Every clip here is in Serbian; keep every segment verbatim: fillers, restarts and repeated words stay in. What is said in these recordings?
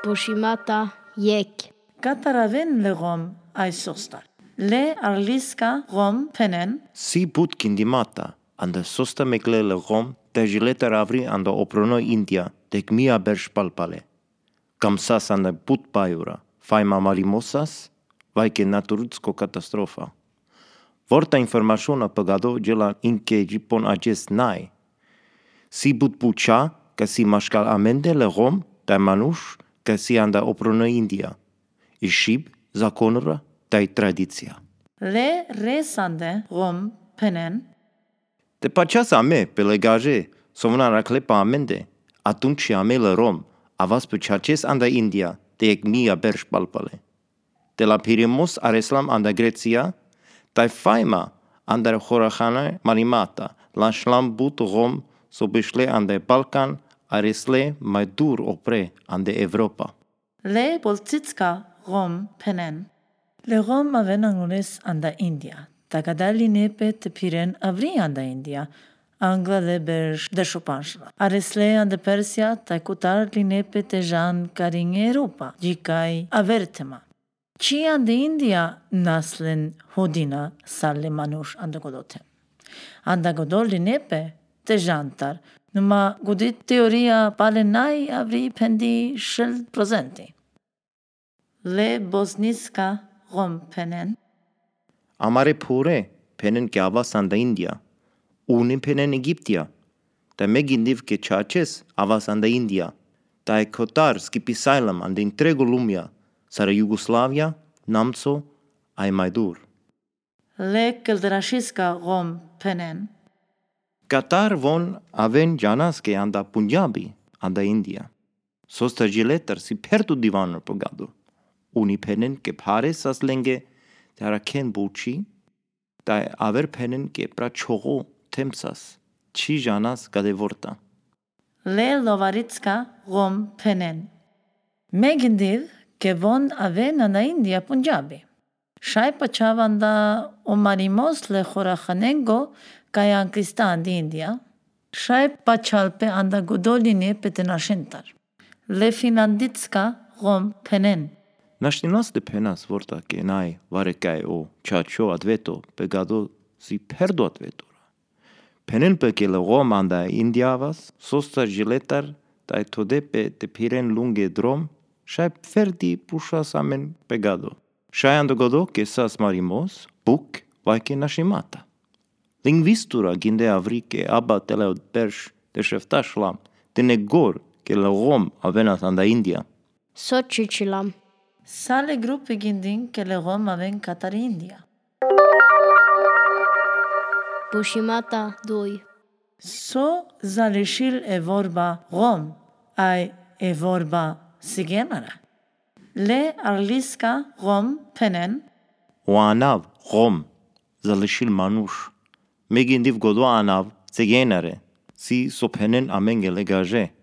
Pushimata yek. Կատարավեն լղոմ այսոստար։ Լե արլիսկա ղոմ փենեն Si put kindimata, anda sosta mekle lăgom, te jileta ravri anda oprono India, dec mia berș palpale. Camsas anda put paiura, fai mamalimosas, vai che naturutsko catastrofa. Vorta informaționa păgado gela inchegi pon acest nai. Si put pucea, ca si mașcal amende lăgom, te manuș, ca si anda oprono India. Ishib, zaconura, tai tradiția. Լե ռեսանդե ղոմ փենեն Te paceas a me, pe legaje, somna raclepa amende, atunci a me la rom, avas pe cerces anda India, te ec mia berș palpale. De la Pirimos areslam anda Grecia, tai faima anda horahana marimata, la șlam but rom, sobeșle anda Balcan, aresle mai dur opre anda Europa. Լե բոլցիցկա ղոմ փենեն Լղոմ ավեն անգունես անդա Ինդիա Տագադալի նեպե տպիրեն ավրի անդա Ինդիա Անգլա լե բերշ դշուպանշլա Արեսլե անդա Պերսիա տայկուտար լինեպե տեժան կարին Էրոպա Ջիկայ ավերթեմա Չի անդա Ինդիա նասլեն հոդինա սալլե մանուշ անդա գոդոթե Անդա գոդոր լինեպե տեժանտար Numa gudit teoria palenai avri pendi shel prosenti. Le bosniska rom penen. Amare pure, penen che avas anda India, unim penen Egiptia, ta me gindiv che cerces avas anda India, ta e cotar scipisailam anda intrego lumia, sara Jugoslavia, Namco, ai mai dur. Le keldrashiska rom penen. Qatar von aven janas che anda Punjabi, anda India. Sosta giletar si perdu divanul pogado. Uni penen che pare sas lenge tara ken buci, da aver penen che pra chogo temsas, ci janas gade vorta. Le lovaritska rom penen. Megindiv che von aven anda India Punjabi. Shai pachavanda omarimos le khorakhanengo Kayan Kristan di India, Shai Pachalpe anda Godoline petenashentar. Le Finlanditska rom penen. Naștinas de penas vorta che nai varecai o chacho adveto pegado si perdo advetura. Penen pe che le rom anda Indiavas, sosta giletar, tai tode pe te piren lunghe drom, shai ferdi pushas amen pegado. Shai anda godo che sas marimos, buc, vai che nașimata. Lingvistura ginde avri che abba teleo berș de șeftașlam, de negor che le rom avenas anda India. Sochichilam. Sale grupi gindin che le rom aven Qatar India. Pushimata doi. So zalishil e vorba rom, ai e vorba sigenara. Le arliska rom penen. Oanav, rom, zalishil manuș. Megindiv godo anav, țegenare, si sopenen amengele gaje.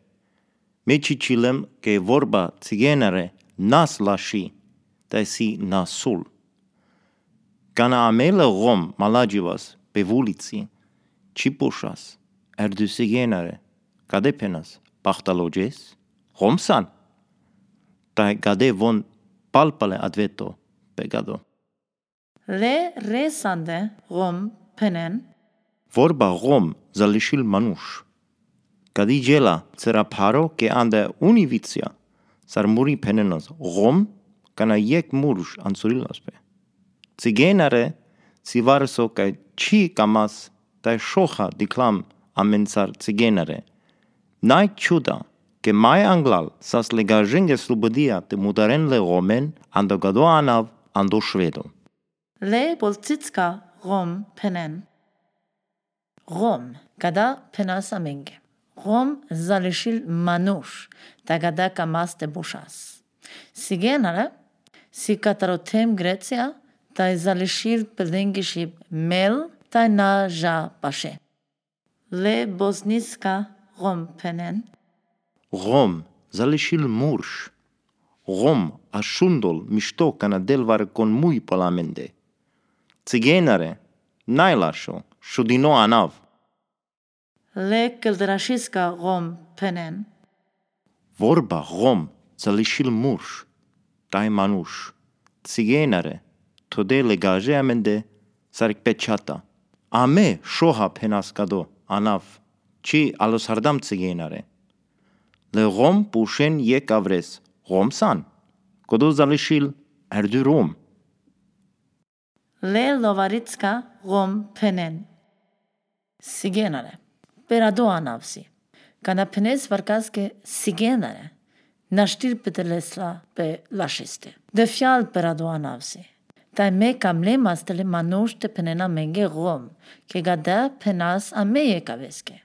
Me cicilem che vorba țegenare nas lași, tai si nasul. Cana amele rom malagivas pe vulici, cipușas, erdu țegenare, cade penas, pahtaloges, romsan. Tai gade von palpale adveto pegado. Le resande rom penen. Vorba rom zalishil manuș. Cadi gela țera paro che anda univiția, sar muri penenos rom, cana iec murș ansurilaspe. Țigenare si varso ca ci camas tai șoha diclam amensar țigenare. Nai ciuda che mai anglal sas legajenge slubodia te mudaren le romen ando gado anav ando șvedo. Le bolțitska rom penen. Rom, kada penas amenge. Rom zalishil manuș, tagada kamas te bușas. Sigenare, si catarotem Grecia, tai zalishil pelengishib mel, tai na ja pașe. Le bosniska rom penen. Rom zalishil murș. Rom așundol mișto cana delvar con mui palamende. Țigenare, n-ai lașo, șudino anav. Le keldrashiska rom penen. Vorba rom залишил муж, тай мануш, цигейнаре, тоде легаже аменде сарикпечата. Аме шоха пенас кадо, анав, чи алосардам цигейнаре. Легом пушен ек аврес, гомсан, кодо залишил эрдü ром. Le Lovaritska Rom Penen. Sigenare. Perado anavsi. Kana penes varkaske sigenare. Nashtir petelesla pe lashiste. De fial perado anavsi. Tai me kamle mastele manushte penena menge Rom. Ke gada penas ame yekaveske.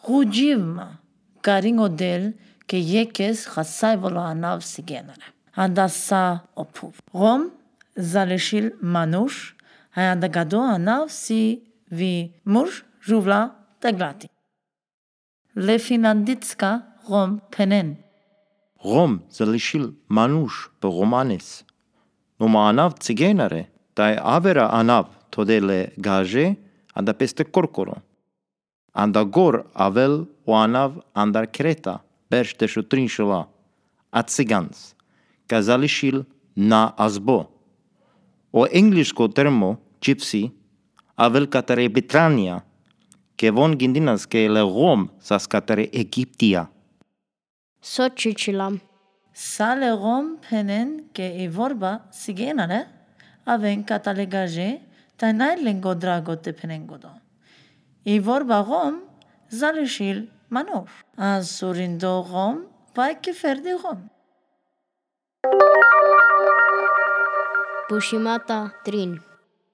Rujivma. Garing odel ke yekes khasai volo anav sigenare. Andasa opuv. Rom zaleshil manush, ayanda gado anav si vi muj juvla taglati. Le finanditska rom penen. Rom залишил мануш pe romanes. Numa anav цигейнаре, тай avera anav тоде legage anda peste corcoro. Anda gor avel o anav andar creta, berș de șutrinșula, a țigans, ca залишил na azbo. O englishko termo, gypsy, avel catare Britannia, che von gindinas che le Rom sas catare Egyptia. Sochichilam. Sale rom penen ke i vorba sigenare, aven catalegaje, tainai lengo drago te penengodo. I vorba rom zaleshil manush. Az surindo rom, vai ke ferdi rom. Pushimata trin.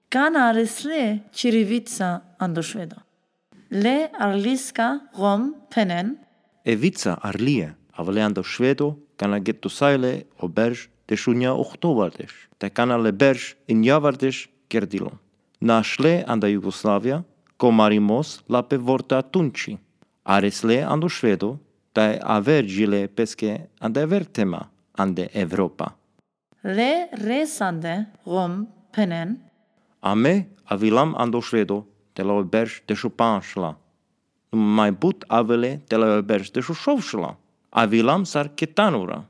Kana aresle chirivitsa andoshvedo. Le arliska rom penen. Evica arlie, aveleando švedo, kana getto saile o berž de šunja ohtovardesh, te kana le berž in javardesh gerdilo. Našle anda Jugoslavia, komarimos la pe vorta tunci. Aresle ando švedo, tai avergile pesche ande vertema ande Europa. Le resande rom penen. Ame avilam ando švedo, te la berž de šupanšla. Mai but avele te la berž de šušovšla. Avilam sar ketanura.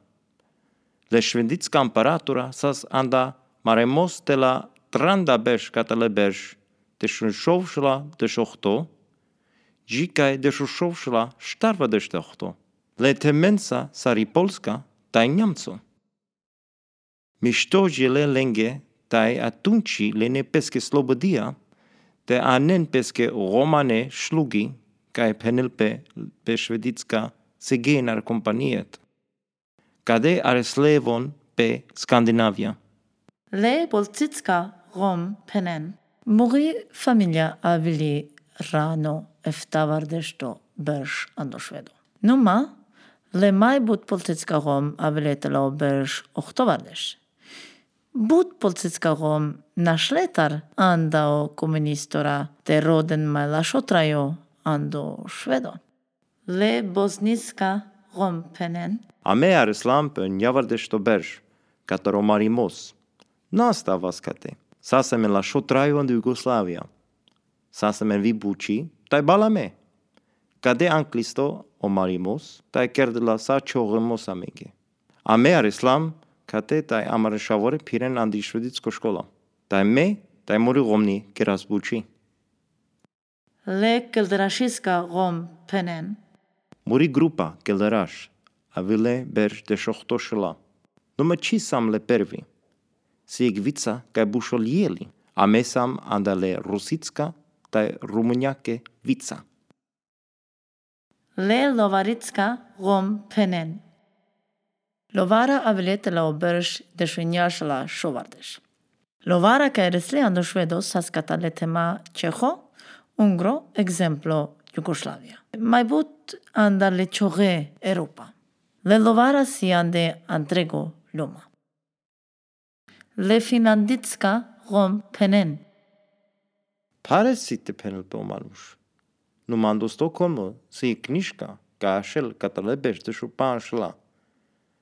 Le švenditska imperatora sas anda maremos te la tranda berž kata le berž de šušovšla de šohto, džikaj de šušovšla štarva de štohto. Le temensa sari Polska taj Njamco. Mišto žele lenge taj atunci le ne peske slobodia, te anen peske romane šlugi, kaj penelpe pe šveditska Segenar kompaniet. Kade areslevon pe Skandinavia. Le boltitska rom penen. Muri familia avili rano eftavardesto berž andoshvedo. Numa, le mai but boltitska rom aviletela berž ohtovardesh. But boltitska rom našletar andao komunistora te roden mai lashotrajo ando švedo. Le bosniska rom penen. Ame areslam pe njavardesto berž, kata romarimos. Nasta vaskate. Sasem la šotrajo de Jugoslavia. Sasem vi buci, tai balame. Kade anklisto o marimos, tai kerdela sa čoremos amenge. Ame areslam kate tai amareshavore piren andi šveditsko škola. Tai me, tai mori romni keras buci. Le keldrašiska rom penen. Muri grupa kelderash, avile berž de šohtošela. Numa ci sam le pervi. Si egvica kaj bušoljeli, a me sam andale rusicka taj rumunjake vica. Le lovaritska rom penen. Lovara aviletela oberž de švinjašala šovardeš. Lovara kaj resle ando švedo saskata le tema Čeho, Ungro, exemplo Jugoslavia. Mai but anda le čoge Europa. Le lovara si ande Andrego Loma. Le finanditska rom penen. Pare sitte penel pe omanuš. Numando Stockholmo si knjiška ka ašel katale berž de šupanšla.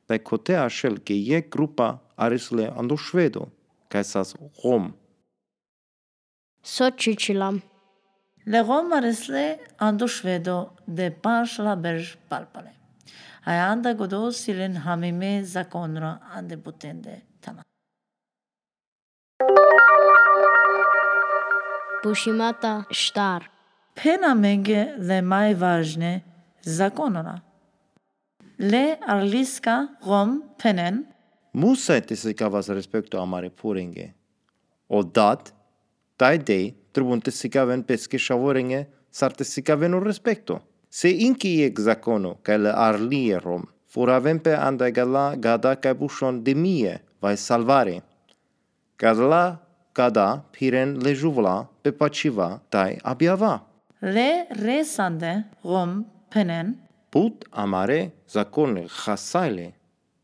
Pe kote ašel ke je grupa arisle ando švedo, kaj sas Rom. Sochichilam. Le rom aresle ando švedo de panšla berž palpale. Ai anda godo silen hamime zakonra ande butende tana. Pushimata shtar. Pena menge le mai važne zakonora. Le arliska rom penen Musa te se cavas respecto a mare purenge. O dat, tai dei, tribun te se caven pesche shavorenge, sar te se caven un respecto. Se inki ec zakono, ca le arlie rom, fura vempe anda gala gada ca bushon de mie, vai salvare. Gala gada piren le juvla, pe paciva, tai abiava. le resande rom penen Put amare zakone chasaile,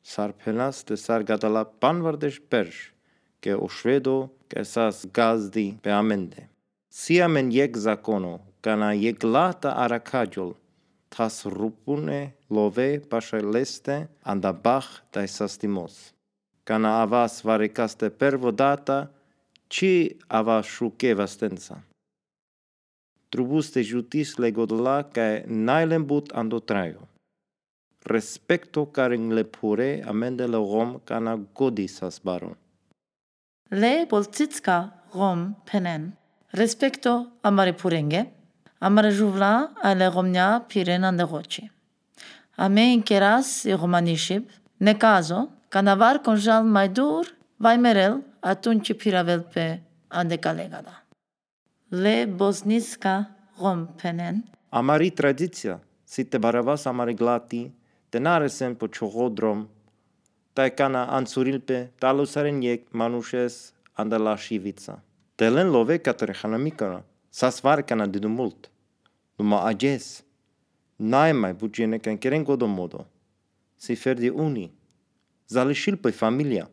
sar penas te sar gadala panvardesh persh, ke o shvedo ke sas gazdi pe amende. Sia men yek zakono, kana yek lata arakajol, tas rupune love pasha leste anda bach dai sastimos. Kana avas varikaste pervodata, ci avas shuke vastensa. Trubuste jutis legodla cae nailem but ando traio. Respecto caring le pure amende le rom cana godisas baron. le boltitska rom penen respecto amare purenge amare juvla ale romnia piren ande roci. Ame inkeras i romanishib ne caso canavar conjal mai dur vai merel atunci piravel pe ande calegada. Le bosniska rom penen Amari tradiția, si te baravas amari glati, tenare sem po chohodrom, tae cana ansurilpe, talusaren yek manushes anda la shivica. Telen love catre hanamicana, sasvar cana didu mult. Numa ages, nae mai bugene can keren godomodo. Si ferdi uni, zalishil pe familia.